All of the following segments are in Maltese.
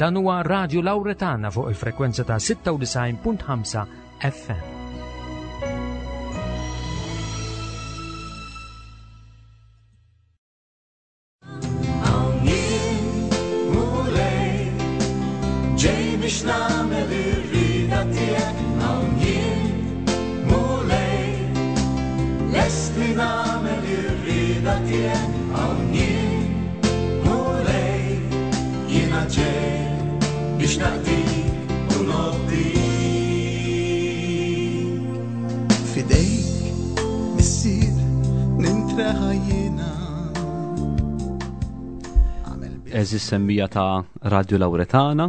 Dan huwa Radio Lauretana fuq il-frekwenza ta' 96.5 FM. Fidejk, missier, nintreħa jiena. Eżis semmija ta' Radio Lauretana,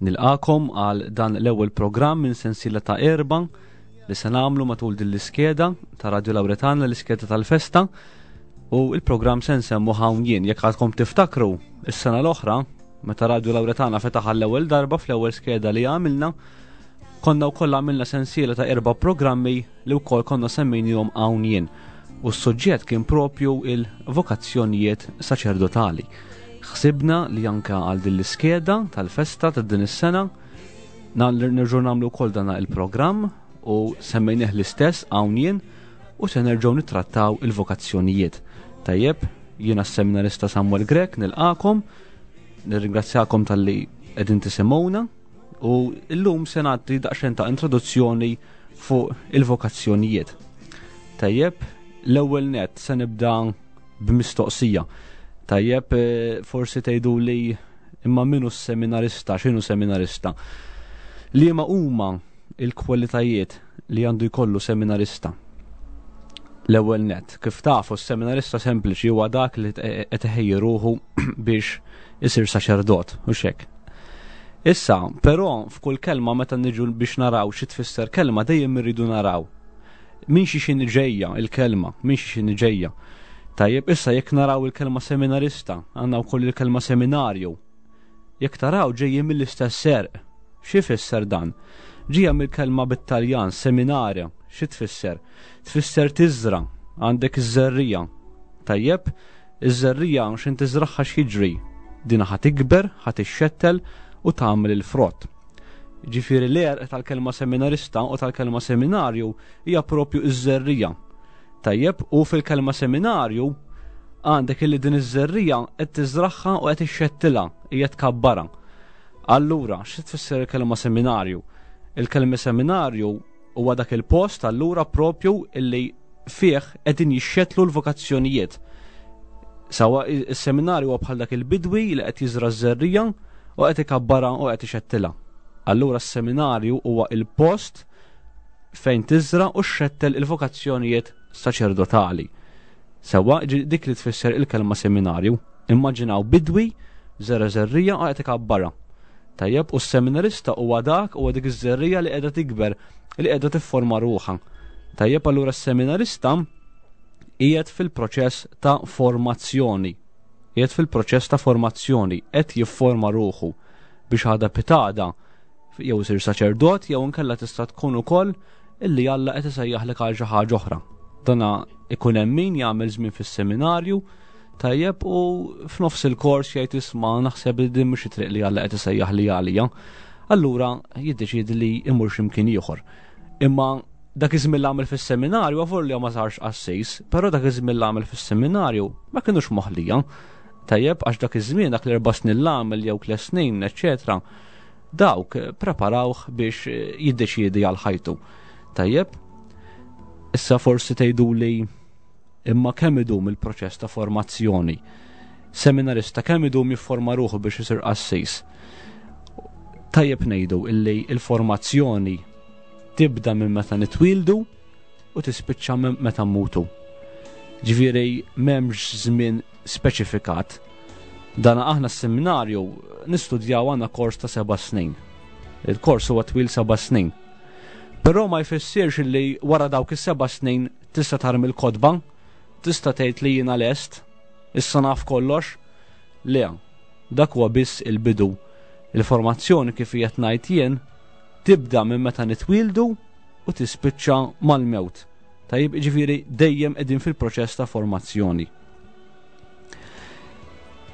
nilqakom għal dan l-ewwel programm minn sensiela ta' erba li se nagħmlu matul din l-iskeda ta' Radio Lauretana, l-iskeda tal-festa, u il-programm se nsemmu hawn jien. Jekk għadkom tiftakru, is-sena l-oħra, meta Radio Lauretana fetaħ għall-ewwel darba fl-ewwel skeda li għamilna, konna wkoll għamilna sensiela ta' erba' programmi li wkoll konna semmejnihom hawn jien. U s-suġġett kien propju il-vokazzjonijiet saċerdotali. Ħsibna li anka għal din l-iskeda tal-festa ta' din is-sena nerġgħu nagħmlu wkoll dana il-programm u semmejnih l-istess hawn jien u se nerġgħu nittrattaw il-vokazzjonijiet. Tajjeb, jiena s-seminarista Samuel Grech nilqakom, nirringrazzjakom talli qegħdin tisimgħuna u llum se nagħti daqsxejn ta' introduzzjoni fuq il-vokazzjonijiet. Tajjeb, l-ewwel net se nibda b'mistoqsija. Tajjeb, eh, forsi tgħidu li imma minu seminarista, x'inhu seminarista? Liema huma il-kwalitajiet li għandu jkollu seminarista? L-ewwel net, kif tafu s-seminarista sempliċi huwa dak li qed iħejji ruħu biex isir saċerdot, u xek. Issa, però f'kull kelma meta niġu biex naraw xi tfisser kelma dejjem irridu naraw minn xi xini ġejja il-kelma, minn xi xini ġejja. Tajjeb, issa jekk naraw il-kelma seminarista, għandna wkoll il-kelma seminarju. Jekk taraw ġejjin mill-istess serq. Xi fisser dan? Ġija mill-kelma bit-Taljan seminarja, xi tfisser? Tfisser tiżra, għandek iż-żerrija. Tajjeb, iż-żerrija x'in tiżraħħa x'jiġri? Dina ħa tikber, ħa tixxettel u tagħmel il-frott. Ġifieri l-għerq tal-kelma seminarista u tal-kelma seminarju hija propju iż-żerrija. Tajjeb, u fil-kelma seminarju għandek illi din iż-żerrija qed tiżraħħa u qed ixxettilha, hija tkabbarha. Allura, xi tfisser il-kelma seminarju? Il-kelma seminarju huwa dak il-post allura propju illi fih qegħdin jixxetlu l-vokazzjonijiet. Sawa is-seminarju huwa bħal dak il-bidwi li qed jiżra ż-żerrija u qed ikabbarha u qed ixettilha. Allura s-seminarju huwa il-post fejn tiżra u xxettel il-vokazzjonijiet saċerdotali. Sewa dik li tfisser il-kelma seminarju. Immaġinaw bidwi, żera żerrija u qed ikabbarha. Tajjeb, u s-seminarista huwa dak huwa dik iż-żerrija li qiegħda tikber, li qiegħda tifforma ruħha. Tajjeb, allura s-seminarista qiegħed fil-proċess ta' formazzjoni. Qiegħed fil-proċess ta' formazzjoni, qed jifforma ruħu biex għada pitada jew isir saċerdot jew inkella tista' tkun ukoll illi Alla qed isejjaħlek għal xi ħaġa oħra. Dana ikun hemm min jagħmel żmien fis-seminarju tajjeb u f'nofs il-kors jgħid isma' naħseb li din mhux it-triq li Alla qed isejjaħ li għalija. Allura jiddeċiedi li imur x'imkien ieħor. Imma dak iż-żmien li għamel fis-seminarju għavur li ma sarx qassis, però dak iż-żmien li għamel fis-seminarju ma kienux moħlija. Tajjeb għax dak iż-żmien dak l-erba' snin l-għamel jew tliet snin, eċċetera dawk preparawh biex jiddeċiedi għal ħajtu. Tajjeb, issa forsi tgħiduli imma kemm idum il-proċess ta' formazzjoni? Seminarista kemm idum jifforma ruħu biex isir qassis? Tajjeb ngħidu illi il-formazzjoni tibda minn meta nitwildu u tispiċċa minn meta mmutu. Ġifieri m'hemmx żmien speċifikat. Dana aħna s-seminarju nistudjaw għandna kors ta' seba' snin. Il-kors huwa twil seba' snin. Però ma jfissirx li wara dawk is-seba' snin tista' tarmi l-kotba, tista' tgħid li jiena lest, issa naf kollox. Le, dak huwa biss il-bidu. Il-formazzjoni kif qiegħed ngħid jien tibda minn meta nitwieldu u tispiċċa mal-mewt. Tajjeb, ġifieri dejjem qegħdin fil-proċess ta' formazzjoni.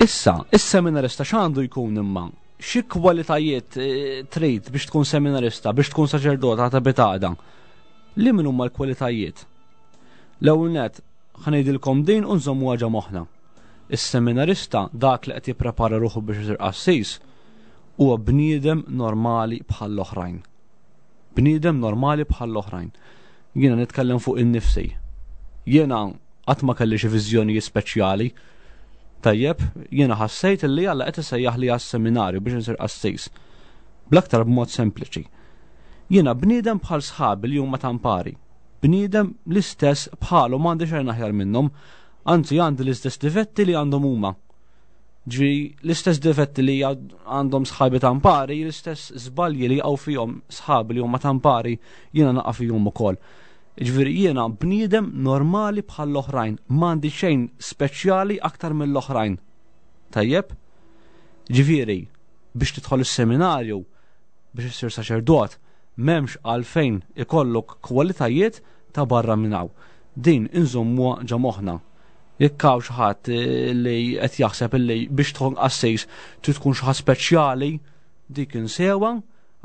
Issa, is-seminarista x'għandu jkun imma? Xi kwalitajiet eh, trid biex tkun seminarista, biex tkun saċerdot għata bitada? Li min huma l-kwalitajiet? L-ewwel net ħanejdilkom din u nżommuha ġo moħħna. Is-seminarista dak li qed jipprepara ruħu biex isir qassis huwa bniedem normali bħall-oħrajn. Bniedem normali bħall-oħrajn. Jiena nitkellem fuq innifsi. Jiena qatt ma kelli xi viżjonijiet speċjali. Tajjeb, jiena ħassejt li Alla qed isejjaħli għas-seminarju biex insir qassis. Bl-aktar b'mod sempliċi. Jiena bniedem bħal sħabi li huma tampari. Bniedem l-istess bħalu m'għandi xejn aħjar minnhom, anzi għandi l-istess difetti li għandhom huma. Ġi l-istess difetti li għandhom sħabi tampari, l-istess żbalji li jaqgħu fihom sħabi li huma tampari, jiena naqa' fihom ukoll. Ġifieri jiena bniedem normali bħall-oħrajn, m'għandi xejn speċjali aktar mill-oħrajn. Tajjeb? Ġifieri, biex tidħol is-seminarju, biex issir saċerdot, m'hemmx għalfejn ikollok kwalitajiet ta' barra minn hawn. Din inżommuha ġo moħħna. Jekk hawn xi ħadd eh, li qed jaħseb li biex tkun qassis trid tkun xi ħadd speċjali, dik insewha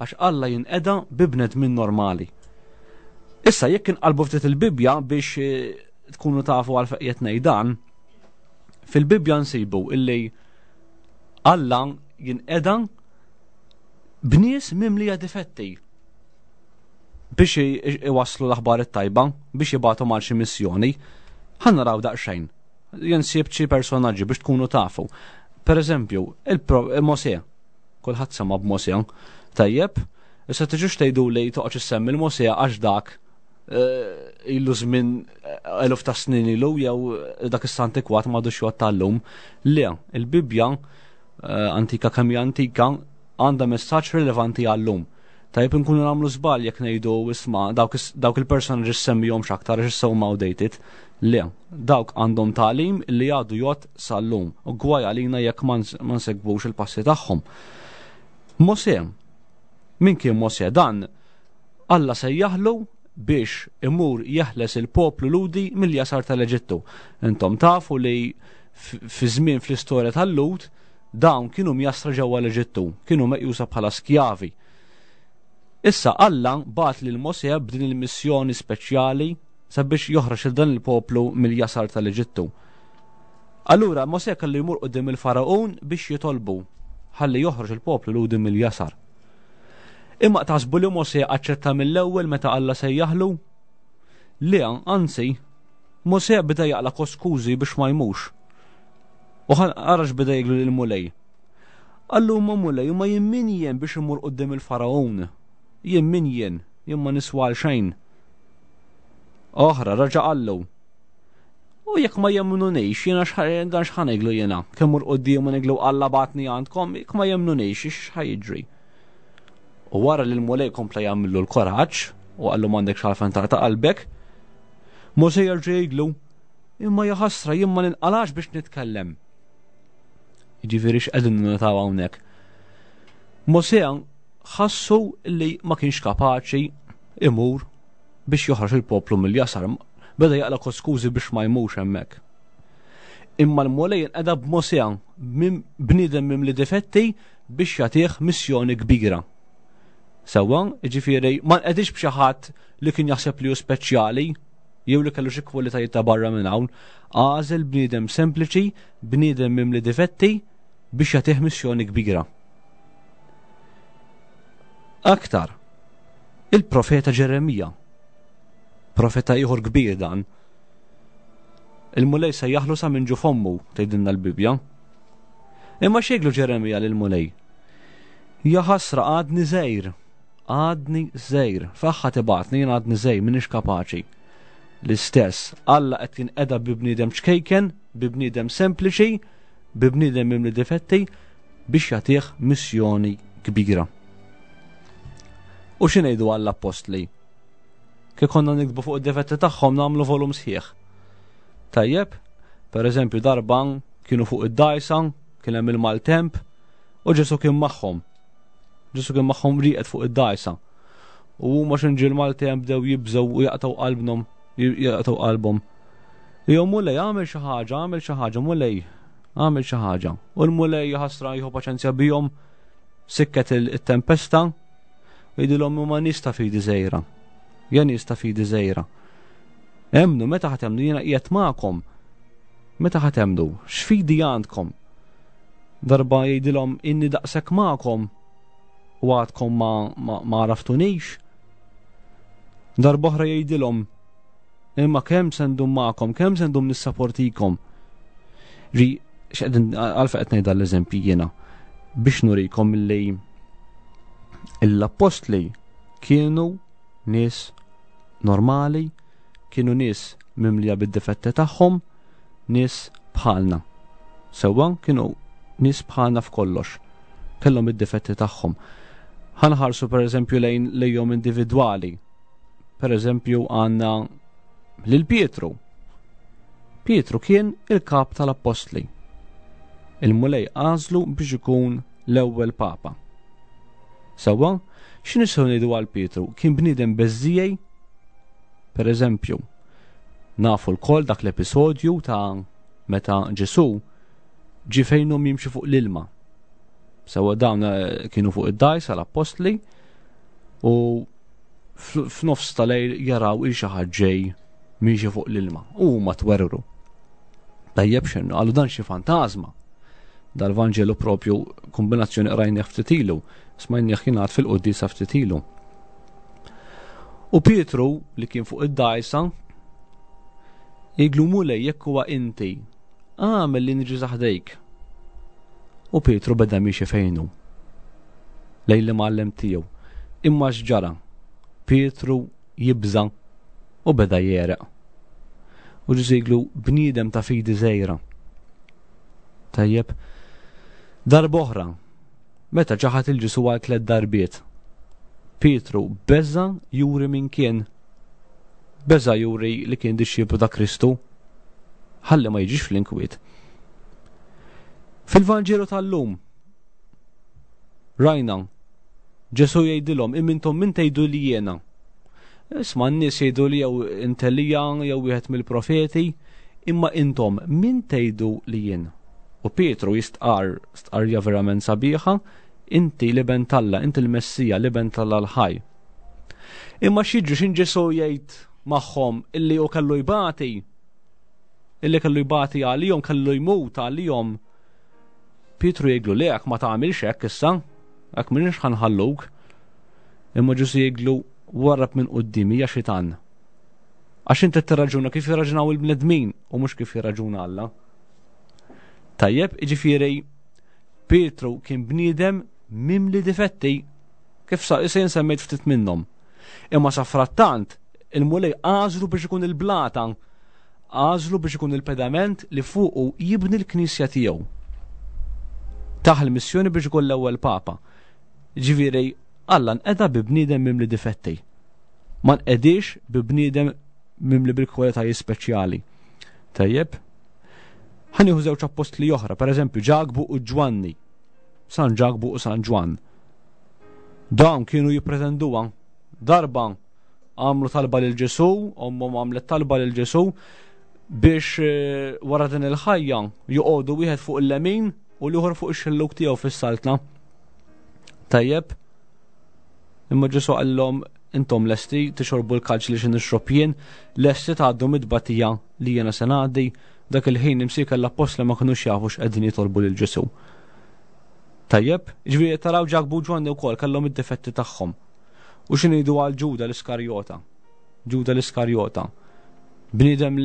għax Alla jinqeda bi bnedmin normali. Issa jekk inqalbu ftit il-Bibbja biex eh, tkunu tafu għal fejn ngħid dan, fil-Bibbja nsibu illi Alla jinqeda b'nies mimlija difetti biex iwasslu l-aħbar it-tajba, biex jibgħatu mal xi missjoni. Ħa naraw daqsxejn. Jien sibt xi personaġġi biex tkunu tafu. Per eżempju, il-Mosè. Kulħadd sema' b'Mosè. Tajjeb, issa tiġux tgħidu li toqgħodx issemmi l-Mosè għax dak eh, ilu żmien eh, eluf ta' snin ilu jew dak is-santikwat m'għadux jgħod tal-lum. Le, il-Bibbja eh, antika kemm hija antika għandha messaġġ rilevanti għal-lum. Tajjeb inkunu nagħmlu żball jekk ngħidu isma' dawk il-personaġġi semmihom aktar għax issa huma outdated. Le, dawk għandhom tagħlim li għadu jgħodd sal-lum u gwaj għalina jekk ma nsegwux il-passi tagħhom. Mosè, min kien Mosè dan? Alla sejjaħlu biex imur jeħles il-poplu Lhudi mill-jasar tal-Eġittu. Intom tafu li fi żmien fl-istorja tal-Lhud dawn kienu mjassra ġewwa l-Eġittu, kienu meqjusa bħala skjavi. Issa Alla bagħat lil Mosè b'din il-missjoni speċjali sabiex joħroġ il dan il-poplu mill-jasar tal-Eġittu. Allura Mosè kellu jmur quddiem il-Faragħun biex jitolbu ħalli joħroġ il-poplu Lhudi mill-jasar. Imma taħsbu li Mosè aċċetta mill-ewwel meta Alla sejjaħlu? Le, anzi, Mosè beda jaqla' koskużi biex ma jmux. U ara x'beda jgħidlu lill-Mulej. Qallu ma Mulej, ma jien min jien biex immur quddiem il-Faragħun? Jien min jien? Jien ma niswa għal xejn. Oħra, raġa' qallu. U jekk ma jemmnunix, jiena dan x'ħa ngħidlu jiena? Kemm mur quddiem u ngħidlu Alla bagħatni għandkom, jekk ma jemmnunix, x'ħa jiġri? U wara li l-Mulej kompla jagħmillu l-kuraġġ u qallu m'għandekx għalfejn taqta' qalbek, Mosè jerġa' jgħidlu, imma jaħasra jien ma ninqalax biex nitkellem. Jiġifieri x'qegħdin nnotaw hawnhekk. Mosè ħassu li ma kienx kapaċi imur biex joħroġ il-poplu mill-jasar. Beda jaqla koskużi biex ma jmux hemmhekk. Imma l-Mulej inqeda b'Mosè, bniedem mimli difetti biex jagħtih missjoni kbira. Sewwa, jiġifieri ma nqedix b'xi ħadd li kien jaħseb li hu speċjali, jew li kellu xi kwalitajiet ta' barra minn hawn, għażel bniedem sempliċi, bniedem mimli difetti biex jagħtih missjoni kbira. Aktar, il-profeta Ġeremija, profeta ieħor kbir dan, il-Mulej sejjaħlu sa minn ġu fommu, tgħidilna l-Bibbja. Imma xejglu Ġeremija lill-Mulej? Ja ħasra għadni żgħir. Għadni żgħir, f'aħħa tibgħatni jien għadni żgħir m'iniex kapaċi. L-istess, Alla qed jinqeda bi bniedem ċkejken, bi bniedem sempliċi, bi bniedem mimli difetti biex jagħtih missjoni kbira. U xi ngħidu għall-appostli? Kif konna nikbu fuq id-difetti tagħhom nagħmlu volum sħiħ. Tajjeb, per eżempju darba kienu fuq id-dajsa, kien hemm il-maltemp u Ġesu kien magħhom. Ġesu kien magħhom rieqed fuq id-dgħajsa. U huma x'inġiel Malti bdew jibżgħu u jaqtgħu qalbhom, jaqtgħu qalbhom. Jew Mulej għamel xi ħaġa, għamel xi ħaġa, Mulej, għamel xi ħaġa. U l-Mulej ħasra jieħu paċenzja bihom. Sikket il-tempesta u jgħidilhom huma nies ta' fidi żgħira. Ja nies ta' fidi żgħira. Emmnu, meta ħa temmnu jiena qiegħed magħkom. Meta ħa temmnu, x'fidi għandkom? Darba jgħidilhom inni daqshekk magħkom u għadkom ma, ma, ma għaraftunix. Darba oħra jgħidilhom imma kemm se ndum magħkom, kemm se ndum nissaportikom. Ri, x'qegħdin għalfa qed ngħid l-eżempji jiena biex nurikom li l-appostli kienu nies normali, kienu nies mimlija bid-difetti tagħhom, nies bħalna. Sewwa kienu nies bħalna f'kollox. Kellhom id-difetti tagħhom. Ħanħarsu pereżempju lejn lejhom individwali. Pereżempju għandna lil Pietru. Pietru kien il-kap tal-appostli. Il-Mulej għażlu biex ikun l-ewwel papa. Sewwa, x'nistgħu ngħidu għal Pietru? Kien bniedem beżżiegħi? Per eżempju, nafu lkoll dak l-episodju ta' meta Ġesù ġie fejnhom jimxi fuq l-ilma. Sewwa dawn eh, kienu fuq id-dajs għall-appostli u f'nofs tal-lejl jaraw il xi ħadd ġej miexi fuq l-ilma u huma twerwru. Tajjeb x'inhu, qalu dan xi fantażma. Dal-Vanġelu propju kombinazzjoni qrajnieh ftit ilu, smajnieh jingħad fil-quddiesa ftit ilu. U Pietru li kien fuq id-dgħajsa jgħidlu Mulej jekk huwa inti, għamel li niġi saħdejk. U Pietru beda miexi fejnu. Lejn l-imgħallem tiegħu. Imma x'ġara? Pietru jibża' u beda jegħreq. U Ġesù jgħidlu bniedem ta' fidi żgħira. Tajjeb. Darb'oħra, meta ċaħad il-Ġesù għal tlett darbiet, Pietru beża juri min kien. Beża juri li kien dixxiplu ta' Kristu. Ħalli ma jiġix fl-inkwiet. Fil-Vanġelu tal-lum, rajna Ġesù jgħidilhom, imma intom min tgħidu li jiena? Isma' n-nies jgħidu li jew int Elija jew wieħed mill-profeti, imma intom min tgħidu li jien? U Pietru jistqarr stqarrija verament sabiħa, inti l-Iben t'Alla, inti l-Messija, l-Iben t'Alla l-ħaj. Imma x'jiġri x'in Ġesù jgħid magħhom illi hu kellu jbati, illi kellu jbati għalihom, kellu jmut għalihom. Pietru jgħidlu le ma tagħmilx hekk issa, hekk m'iniex ħa nħalluk. Imma Ġesù jgħidlu warrab minn quddiemi ja xitan. Għax inti tirraġuna kif jirraġunaw il-bnedmin u mhux kif jirraġuna Alla. Tajjeb, jiġifieri Pietru kien bniedem mimli difetti kif sa issa jien semmejt ftit minnhom. Imma sa frattant il-Mulej għażlu biex ikun il-blata, għażlu biex ikun il-pedament li fuqu jibni l-knisja tiegħu. Taħ il-missjoni biex ikun l-ewwel papa. Ġifieri Alla nqeda bi bniedem mimli difetti. Ma nqedix bi bniedem mimli bil-kwalitajiet speċjali. Tajjeb? Ħa nieħu żewġ appostli oħra, per eżempju Ġakbu u Ġwanni. San Ġakbu u San Ġwann. Dawn kienu jippretenduha darba għamlu talba lil Ġesù, ommhom għamlet talba lil Ġesù biex eh, wara din il-ħajja joqogħdu wieħed fuq il-lemin u l-ieħor fuq ix-xelluk tiegħu fis-saltna. Tajjeb, imma Ġesù qallhom intom lesti tixorbu l-kalċ li xi nixrob jien, lesti tgħaddu mid-tbatija li jiena se ngħaddi, dak il-ħin imsieker l-appostli ma kinux jafu x'qegħdin jitolbu lil Ġesù. Tajjeb, ġifieri taraw Ġakbu u Ġwanni wkoll kellhom id-difetti tagħhom. U xi ngħidu għal Ġuda l-Iskarjota? Ġuda l-Iskarjota. Bniedem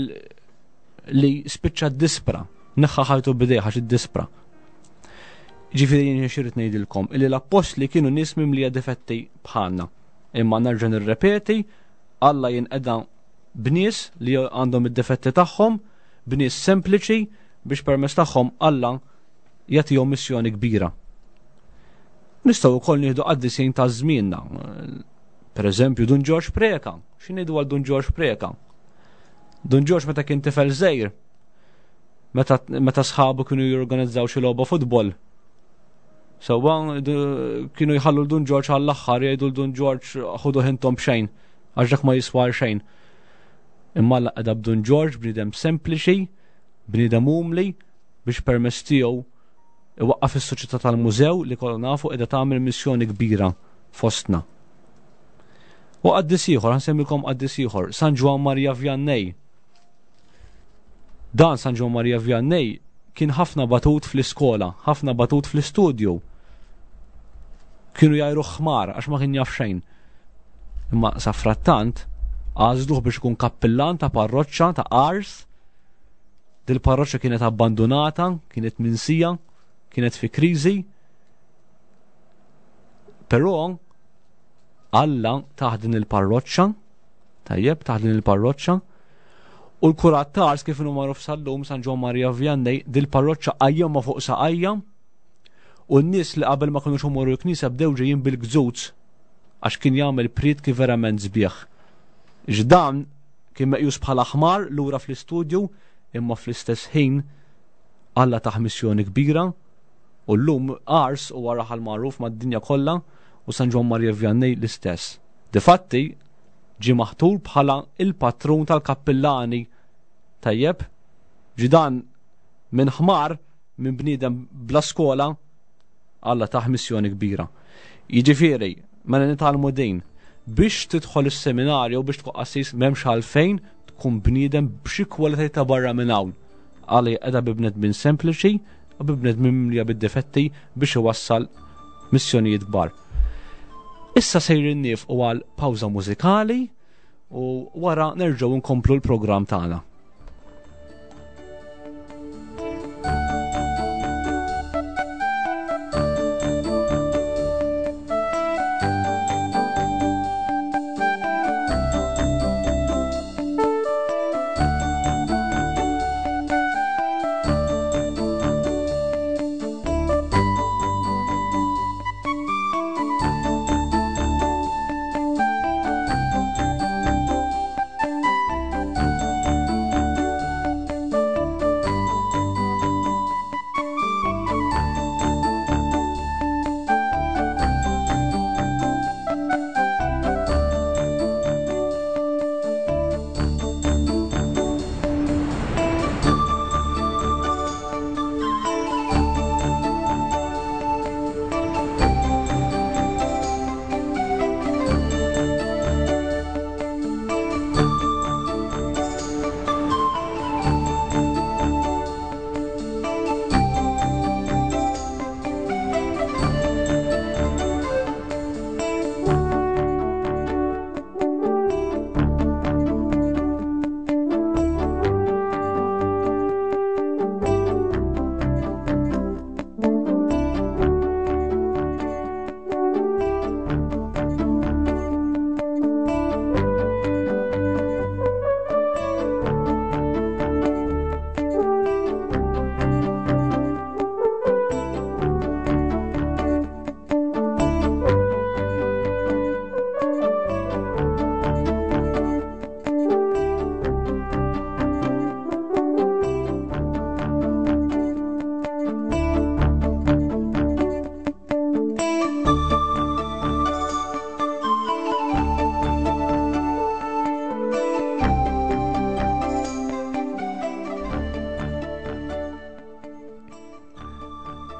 li spiċċa dispra, neħħa ħajtu bidejh għax iddispra. Ġifieri jien xi ngħidilkom illi l-appostli kienu nies mimlija difetti bħalna. Imma nerġa' nirrepeti, Alla jinqeda b'nies li għandhom id-difetti tagħhom, b'nies sempliċi biex permezz tagħhom Alla jagħtihom missjoni kbira. Nistgħu wkoll nieħdu qaddisin ta' żmienna. Per eżempju, Dun Ġorġ Preka. X'ngħidu għal Dun Ġorġ Preka? Dun Ġorġ meta kien tifel żgħir, meta, meta sħabu kienu jorganizzaw xi logħba futbol. Sewwa kienu jħallu l-Dun Ġorġ għall-aħħar jgħidu l-Dun Ġorġ ħudu ħintom b'xejn għax dak ma jiswa xejn. Imma Alla qeda b'Dun Ġorġ bniedem sempliċi, bniedem umli biex permezz tiegħu Iwaqqaf is-Soċjetà tal-Mużew li kollha nafu qiegħda tagħmel missjoni kbira fostna. U qaddis ieħor, ħansemmilkom qaddis ieħor, San Ġwann Maria Vianney. Dan San Ġwann Maria Vianney kien ħafna batut fl-iskola, ħafna batut fl-istudju. Kienu jgħajru ħmar għax ma kien jaf xejn. Imma safrattant għażluh biex ikun kappillan ta' parroċċa ta' Ars Dil-parroċċa kienet abbandunata, kienet minsija, kienet fi kriżi. Però Alla taħ din il-parroċċa, tajjeb, taħ din il-parroċċa, u l-kurat tars kif inhu magħruf sal-lum San Ġwan Maria Vianney, dil-parroċċa qajjemha fuq saqajja, u n-nies li qabel ma kinux imorru l-knisja bdew ġejjin bil-gżuz għax kien jagħmel prietki verament sbieħ. X'dan Kien meqjus bħala ħmar lura fl-istudju imma fl-istess ħin Alla tah missjoni kbira u llum Ars huwa raħal magħruf mad-dinja kollha u San Ġwann Maria Vianney l-istess. Difatti ġie maħtur bħala il-patrun tal-kappillani. Tajjeb? Ġie dan minn ħmar, minn bniedem bla skola, Alla tah missjoni kbira. Jiġifieri, mela nitgħallmu din, biex tidħol is-seminarju biex tkun qassis m'hemmx għalfejn tkun bniedem b'xi kwalitajiet ta' barra minn hawn. Alla jqeda bi bnedmin sempliċi u bi bnedmin mimlija bid-difetti biex iwassal missjonijiet kbar. Issa sejrin niefqu għal pawża mużikali u wara nerġgħu nkomplu l-programm tagħna.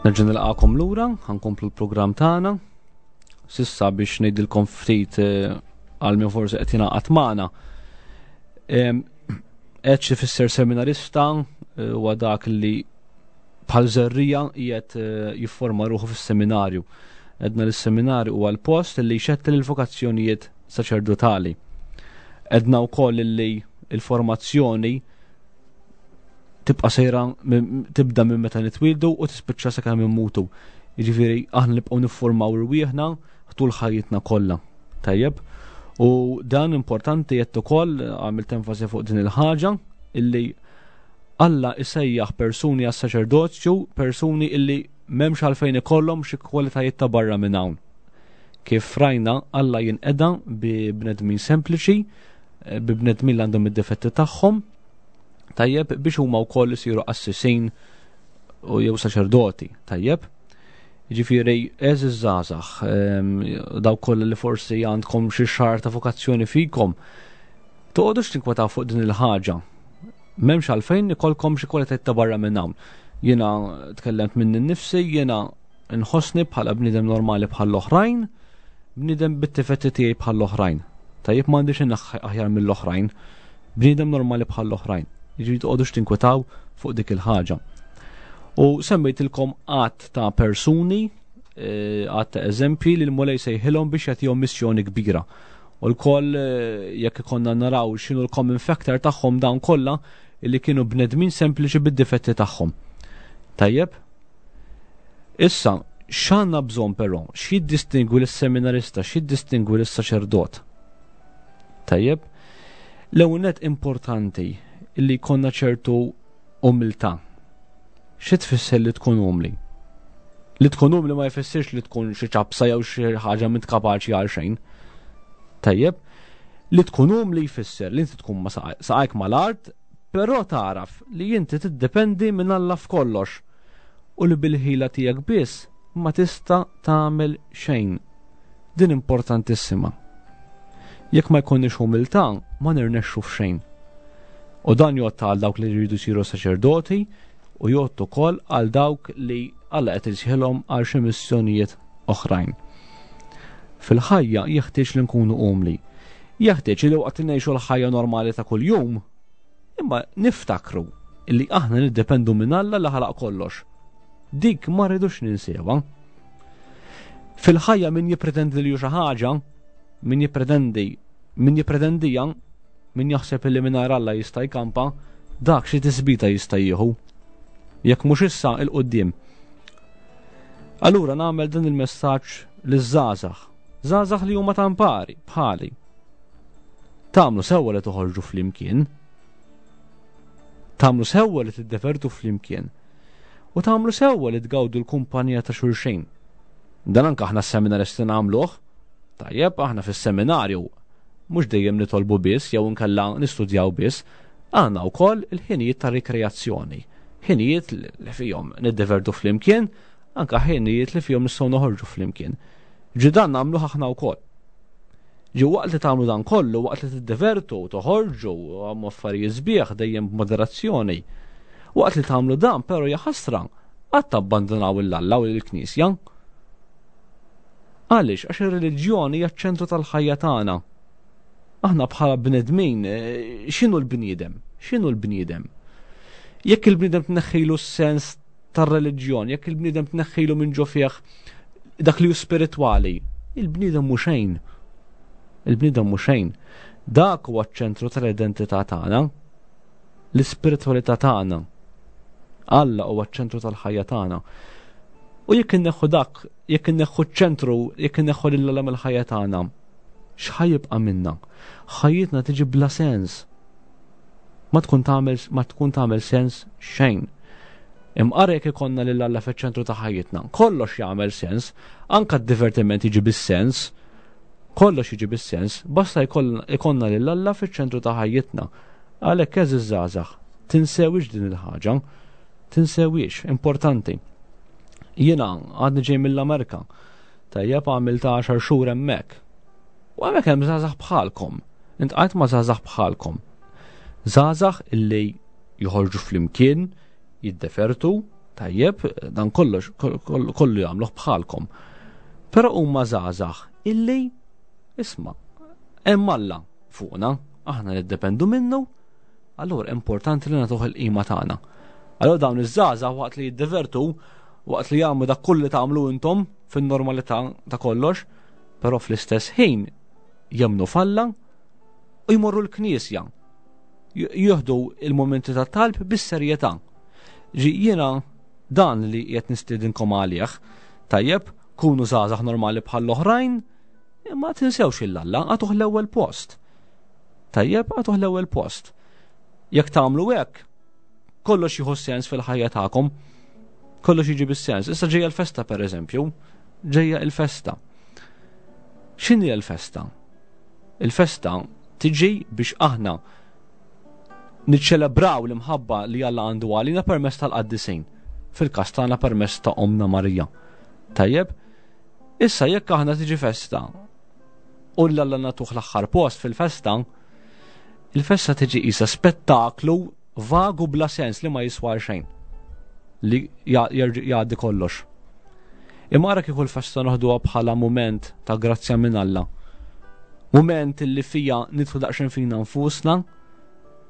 Nerġa' nilqakom lura, ħankomplu l-programm tagħna. Sissa biex ngħidilkom ftit eh, għal min forsi qed jingħaqad magħna. Qed xi fisser seminarista eh, huwa dak li bħal żerrija qiegħed eh, jifforma ruħu fis-seminarju. Edna li s-seminarju huwa l-post li jxettel il-vokazzjonijiet saċerdotali. Edna wkoll li l-formazzjoni tibqa' sejra tibda minn meta nitwildu u tispiċċa sakemm immutu. Jiġifieri aħna nibqgħu niffurmaw irwieħna tul ħajjitna kollha. Tajjeb? U dan importanti jett ukoll għamilt enfasi fuq din il-ħaġa illi Alla isejjaħ persuni għas-saċerdozju, persuni illi m'hemmx għalfejn ikollhom xi kwalitajiet ta' barra minn hawn. Kif rajna, Alla jinqeda bi bnedmin sempliċi, eh, bi bnedmin li għandhom id-difetti tagħhom, tajjeb biex huma wkoll isiru qassisin u jew saċerdoti, tajjeb. Ġifieri, eżiż żgħażagħ, ehm, dawk kollha li forsi għandkom xi xahar ta' vokazzjoni fikom, toqgħodux tinkwetaw fuq din il-ħaġa. M'hemmx għalfejn ikolkom xi kwalitajiet ta' barra minn hawn. Jiena tkellemt minni nnifsi, jiena nħossni bħala bniedem normali bħall-oħrajn, bniedem bit-tifetti tiegħi bħall-oħrajn. Tajjeb m'għandix aħjar mill-oħrajn, bniedem normali bħall-oħrajn. Jiġifieri toqgħodux tinkwetaw fuq dik il-ħaġa. U semmejtilkom għadd ta' persuni, eh, għadd ta' eżempji li l-Mulej sejħilhom biex jagħtihom missjoni kbira. U l-koll eh, jekk ikonna naraw x'inhu l-common factor tagħhom dawn kollha li kienu bnedmin sempliċi bid-difetti tagħhom. Tajjeb? Issa, x'għandna bżonn però? X'jiddistingwi lis-seminarista, x'jiddistingwi lis-saċerdot? Tajjeb? L-ewwel nett importanti li jkollna ċertu umiltà. Xi tfisser li tkun umli? Li tkun umli ma jfissirx li tkun xi ċapsa jew xi ħaġa m'int kapaċi għal xejn. Tajjeb? Li tkun umli jfisser li inti tkun ma saqajk mal-art, però tagħraf li inti tiddependi minn Alla f'kollox u li bil-ħila tiegħek biss ma tista' tagħmel xejn. Din importantissima. Jekk ma jkollniex umiltà, ma nirnexxu f'xejn. U dan jgħodd għal dawk li jridu jsiru saċerdoti u jgħodd ukoll għal dawk li Alla qed isejħilhom għal xi missjonijiet oħrajn. Fil-ħajja jeħtieġ li nkunu umli. Jeħtieġ li waqt li ngħixu l-ħajja normali ta' kuljum, imma niftakru li aħna niddependu minn Alla li ħalaq kollox. Dik ma rridux ninsewha. Fil-ħajja min jippretendi li hu xi ħaġa, min jippretendi, min jippretendija, min jaħseb li mingħajr Alla jista' jkampa, dak xi tisbita jista' jieħu. Jekk mhux issa 'il quddiem. Allura nagħmel dan il-messaġġ liż-żgħażagħ, żgħażagħ li huma tampari bħali. Tagħmlu sewwa li toħorġu flimkien. Tagħmlu sewwa li tiddevertu flimkien. U tagħmlu sewwa li tgawdu l-kumpanija ta' xulxejn. Dan anke aħna s-seminaristi nagħmluh. Tajjeb, aħna fis-seminarju mhux dejjem nitolbu biss jew inkella nistudjaw biss, għandna wkoll il-ħinijiet ta' rikreazzjoni. Ħinijiet li fihom niddevertu flimkien, anka ħinijiet li fihom nistgħu noħorġu flimkien. Ġi dan nagħmluh aħna wkoll. Ġi waqt li tagħmlu dan kollu, waqt li tiddevertu, toħorġu, għamlu affarijiet sbieħ dejjem b'moderazzjoni. Waqt li tagħmlu dan, però jaħasra, qatt tabbandunaw il-Alla u l-Knisja. Għaliex? Għax ir-reliġjoni hija ċ-ċentru tal-ħajja tagħna. Aħna bħala bnedmin, eh, x'inhu l-bniedem? X'inhu l-bniedem? Jekk il-bniedem tneħħilu s-sens tar-reliġjon, jekk il-bniedem tneħħilu minn ġo fih dak li hu spiritwali, il-bniedem mhu xejn. Il-bniedem mhu xejn. Dak huwa ċ-ċentru tal-identità tagħna, l-ispiritwalità tagħna. Alla huwa ċ-ċentru tal-ħajja tagħna. U jekk inneħħu dak, jekk inneħħu ċ-ċentru, jekk inneħħu lil Alla mill-ħajja tagħna, x'ħa jibqa' minna? Ħajjitna tiġi bla sens. Ma tkun tagħmel ma tkun tagħmel sens xejn. Imqar jekk ikollna lil Alla fiċ-ċentru ta' ħajjitna, kollox jagħmel sens, anka d-divertiment jiġi bis-sens, kollox jiġi bis-sens, basta jkollna lil Alla fiċ-ċentru ta' ħajjitna. Għalhekk għeżież żgħażagħ, tinsewhiex din il-ħaġa. Tinsewhiex, importanti. Jiena għadni ġej mill-Amerka. Tajjeb għamilt 10 xhur hemmhekk. U hemmhekk hemm żgħażagħ bħalkom. Intqajt ma' żgħażagħ bħalkom. Żgħażagħ illi joħorġu flimkien, jiddefertu, tajjeb, dan kollox kollu jagħmluh bħalkom. Però huma żgħażagħ illi isma' hemm Alla fuqna, aħna niddependu minnu, allura importanti li nagħtuh il-qima tagħna. Allura dawn iż-żgħażagħ waqt li jiddevertu, waqt li jagħmlu dak kull li tagħmlu intom fin-normalità ta' kollox, però fl-istess ħin jemmnu f'Alla u jmorru l-knisja. Jieħdu il-momenti ta' talb bis-serjetà. Ġi jiena dan li qed nistiedinkom għalih. Tajjeb, kunu żgħażagħ normali bħall-oħrajn, imma tinsewx il-Alla, għatuh l-ewwel post. Tajjeb, għatuh l-ewwel post. Jekk tagħmlu hekk, kollox jieħu sens fil-ħajja tagħkom. Kollox jiġi bis-sens. Issa ġejja l-festa pereżempju, ġejja il-festa. X'inhi l-festa? Il-festa tiġi biex aħna niċċelebraw l-imħabba li Alla għandu għalina permezz tal-qaddisin. Fil-każ tagħna permezz ta' Omna Marija. Tajjeb, issa jekk aħna tiġi festa u l-Alla nagħtuh l-aħħar post fil-festa, il-festa tiġi qisha spettaklu vagu bla sens li ma jiswa xejn. li jgħaddi kollox. Imma ara kieku l-festa noħduha bħala mument ta' grazzja minn Alla. Mument li fija nidħlu daqsxejn fina nfusna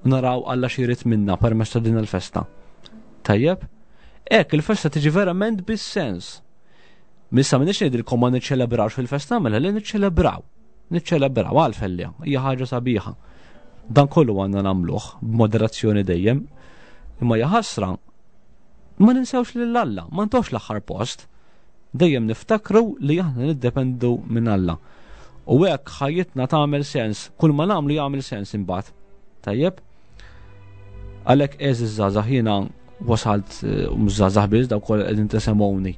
u naraw Alla xi minna permezz ta' din il-festa. Tajjeb? Hekk il-festa tiġi verament bis-sens. Missa minix ngħidilkom ma niċċelebrawx fil-festa mela li niċċelebraw. Niċċelebraw għalfellja, hija ħaġa sabiħa. Dan kollu għandna nagħmluh b'moderazzjoni dejjem. Imma jaħasra ma ninsewx lil Alla, ma ntox l-aħħar post. Dejjem niftakru li aħna niddependu minn Alla. U hekk ħajjitna tagħmel sens, kull ma nagħmlu jagħmel sens imbagħad. Tajjeb? Għalhekk għeżież żgħażagħ jiena wasalt eh, mhux żgħażagħ biss dawk kollha qegħdin tesemgħuni.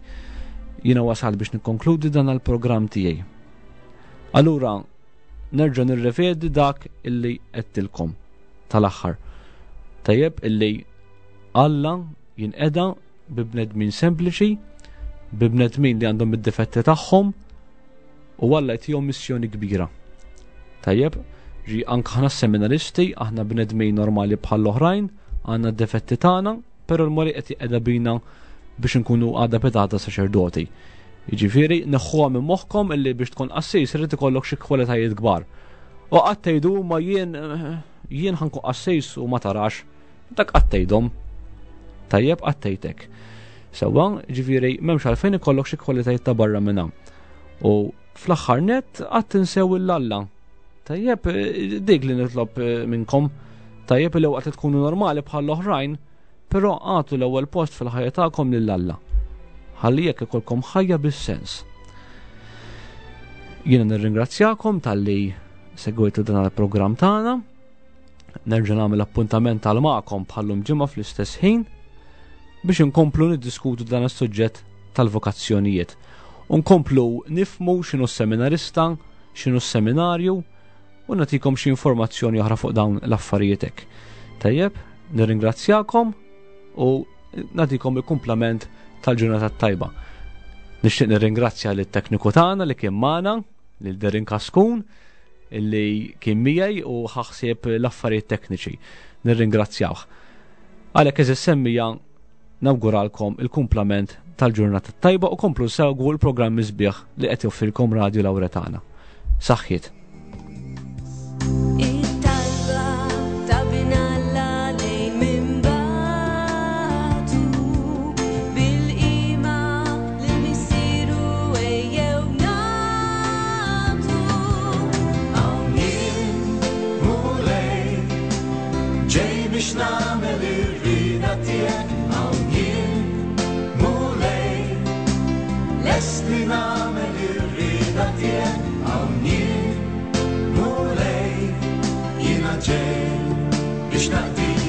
Jiena wasalt biex nikkonkludi dan il-programm tiegħi. Allura nerġa' nirrevedi dak illi qedtilkom tal-aħħar. Tajjeb illi Alla jinqeda bi bnedmin sempliċi, bi bnedmin li għandhom id-difetti tagħhom u Alla jtihom missjoni kbira. Tajjeb, ġi anke aħna seminaristi, aħna bnedmin normali bħall-oħrajn, għandna d-difetti tagħna, però l-Mulej qed jqeda bina biex nkunu għada petata saċerdoti. Jiġifieri neħħuha minn moħħkom illi biex tkun qassis irid ikollok xi kwalitajiet kbar. U qatt tgħidu ma jien jien ħankun qassis u ma tarax. Dak qatt tgħidhom. Tajjeb qatt tgħidek. Sewwa, ġifieri m'hemmx għalfejn ikollok xi kwalitajiet ta' barra minn hawn. U fl-aħħar nett qatt tinsew il-Alla. Tajjeb, dik li nitlob eh, minnkom. Tajjeb li waqt li tkunu normali bħall-oħrajn, però għatu l-ewwel post fil-ħajja tagħkom lil Alla. Ħalli jekk ikolkom ħajja bis-sens. Jiena nirringrazzjakom talli segwejtu dan il-programm tagħna. Nerġa' nagħmel appuntament għal magħkom bħallum ġimgħa fl-istess ħin biex inkomplu niddiskutu dan is-suġġett tal-vokazzjonijiet. U nkomplu nifmu x'inhu s-seminarista, x'inhu s-seminarju u nagħtikom xi informazzjoni oħra fuq dawn l-affarijiet hekk. Tajjeb, nirringrazzjakom u nagħtikom il-kumplament tal-ġurnata tajba. Nixtieq nirringrazzja lit-tekniku tagħna li kien magħna, lil Derin Kaskun, illi kien miegħi u ħaħsieb l-affarijiet tekniċi. Nirringrazzjawh. Għalhekk eżis semmija nawguralkom il-kumplament tal-ġurnata tajba u komplu segwu l-programmi sbieħ li qed joffrilkom Radio Lauretana. Saħħiet. It-talba ta' bin Alla lejn min bagħtu bil-qima lil Missieru ejjew nagħtu. Hawn jien, Mulej, ġej biex nagħmel ir-rieda tiegħek. Hawn jien, Mulej, lest li nagħmel ir-rieda tiegħek. Hawn jien, Mulej, jiena ġej biex naqdik.